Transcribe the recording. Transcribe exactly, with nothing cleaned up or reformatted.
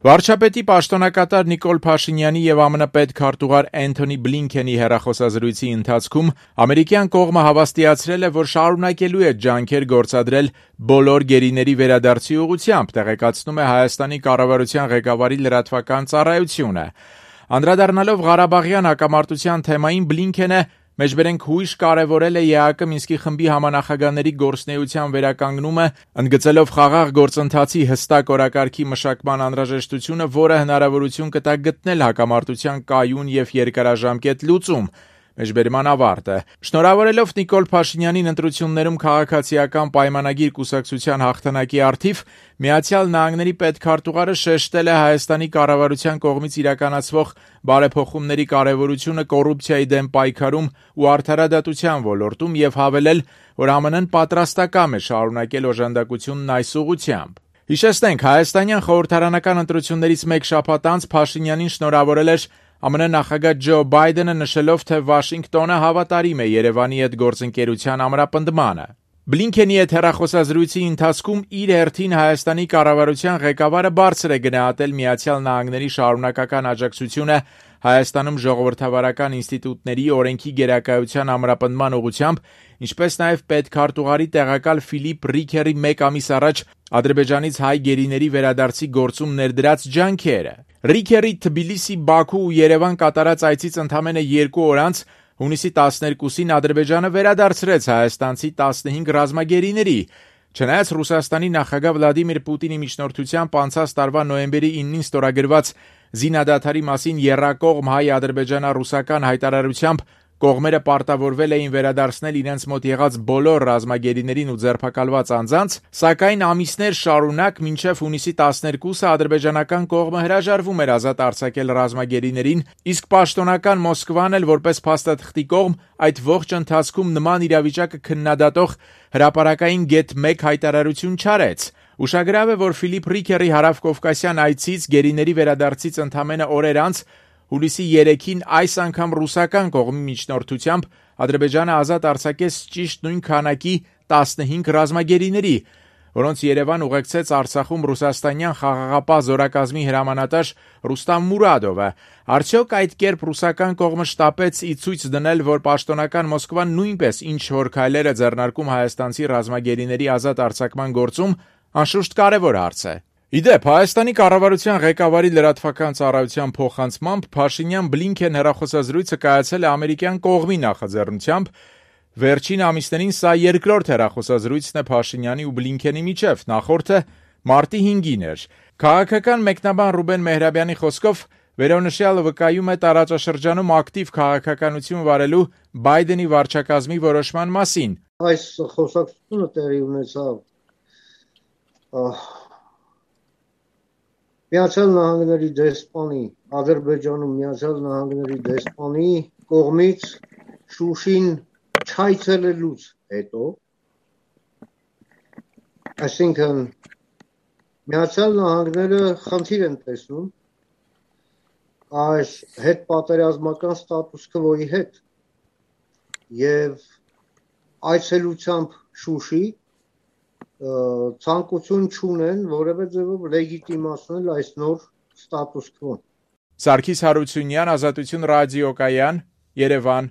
Վարչապետի պաշտոնակատար Նիկոլ Փաշինյանի և ԱՄՆ պետքարտուղար Էնթոնի Բլինքենի հեռախոսազրույցի ընթացքում ամերիկյան կողմը հավաստիացրել է, որ շարունակելու է ջանքեր գործադրել բոլոր գերիների վերադարձի ուղղությամբ, տեղեկացնում է Հայաստանի կառավարության ղեկավարի լրատվական ծառայությունը։ Անդրադառնալով Ղարաբաղյան հակամարտության թեմային, Բլինքենը մեջբերենք հույժ կարևորել է ԵԱՀԿ Մինսկի խմբի համանախագահների գործունեության վերականգնումը, ընդգծելով խաղաղ գործընթացի հստակ օրակարգի մշակման անհրաժեշտությունը, որը հնարավորություն կտա գտնել հակամարտության կայուն և երկարաժամկետ լուծում։ Մեջբերման ավարտը։ Շնորհավորելով Նիկոլ Փաշինյանին ընտրություններում քաղաքացիական պայմանագիր կուսակցության հաղթանակի առթիվ, Միացյալ Նահանգների պետքարտուղարը շեշտել է Հայաստանի կառավարության կողմից իրականացվող բարեփոխումների կարևորությունը կոռուպցիայի դեմ պայքարում ու արդարադատության ոլորտում և հավելել, որ ԱՄՆ-ն պատրաստակամ է շարունակել օժանդակությունն այս ուղղությամբ։ Հիշեցնենք, հայաստանյան խորհրդարանական ընտրություններից մեկ շաբաթ անց Փաշինյանին շնորհավորել էր ԱՄՆ նախագահ Ջո Բայդենը, նշելով, թե Վաշինգտոնը հավատարիմ է Երևանի հետ գործընկերության ամրապնդմանը։ Բլինքենի հետ հեռախոսազրույցի ընթացքում իր հերթին Հայաստանի կառավարության ղեկավարը բարձր է գնահատել Միացյալ Նահանգների շարունակական աջակցությունը Հայաստանում ժողովրդավարական ինստիտուտների օրենքի գերակայության ամրապնդման ուղղությամբ, ինչպես նաև պետքարտուղարի տեղակալ Ֆիլիպ Ռիքերի մեկ ամիս առաջ Ադրբեջանից հայ գերիների վերադարձի գործում ներդրած ջանքերը։ Ռիքերի Թբիլիսի-Բաքու ու Երևան կատարած այցից ընդամենը երկու օր անց, հունիսի տասներկուսին, Ադրբեջանը վերադարձրեց հայաստանցի տասնհինգ ռազմագերիների։ Չնայած Ռուսաստանի նախագահ Վլադիմիր Պուտինի միջնորդությամբ անցած տարվա նոյեմբերի իննին ստորագրված զինադադարի մասին եռակողմ հայ-ադրբեջանա-ռուսական հայտարարությամբ կողմերը պարտավորվել էին վերադարձնել իրենց մոտ եղած բոլոր ռազմագերիներին ու ձերբակալված անձանց, սակայն ամիսներ շարունակ մինչև հունիսի տասներկուսը ադրբեջանական կողմը հրաժարվում էր ազատ արձակել ռազմագերիներին, իսկ պաշտոնական Մոսկվան էլ որպես փաստաթղթի կողմ այդ ողջ ընթացքում նման իրավիճակը քննադատող հրապարակային գեթ մեկ հայտարարություն չարեց։ Ուշագրավ է, որ Ֆիլիպ Ռիքերի հարավկովկասյան այցից գերիների վերադարձից ընդամենը օրեր անց, հուլիսի երեքին, այս անգամ ռուսական կողմի միջնորդությամբ Ադրբեջանը ազատ արձակեց ճիշտ նույն քանակի տասնհինգ ռազմագերիների, որոնց Երևան ուղեկցեց Արցախում ռուսաստանյան խաղաղապահ զորակազմի հրամանատար Ռուստամ Մուրադովը։ Արդյոք այդ կերպ ռուսական կողմը շտապեց ի ցույց դնել, որ պաշտոնական Մոսկվան նույնպես ինչ-որ քայլեր է ձեռնարկում հայաստանցի ռազմագերիների ազատ արձակման գործում, անշուշտ կարևոր հարց է։ Ի դեպ, Հայաստանի կառավարության ղեկավարի լրատվական ծառայության փոխանցմամբ Փաշինյան-Բլինքեն հեռախոսազրույցը կայացել է ամերիկյան կողմի նախաձեռնությամբ։ Վերջին ամիսներին սա երկրորդ հեռախոսազրույցն է Փաշինյանի ու Բլինքենի միջև, նախորդը մարտի հինգին էր։ Քաղաքական մեկնաբան Ռուբեն Մեհրաբյանի խոսքով, վերոնշյալը վկայում է տարածաշրջանում ակտիվ քաղաքականություն վարելու Բայդենի վարչակազմի որոշման մասին։ Այս խոսակցությունը տեղի ունեցավ Միացյալ Նահանգների դեսպանի, Ադրբեջանում Միացյալ Նահանգների դեսպանի կողմից Շուշին չայցելելուց հետո, այսինքն Միացյալ Նահանգները խնդիր են տեսնում այս հետպատերազմական ստատուս քվոյի հետ եւ այցելությամբ Շուշի ցանկություն չունեն որևէ ձևով լեգիտիմացնել այս նոր ստատուս քվոն։ Սարգիս Հարությունյան, Ազատություն ռադիոկայան, Երևան։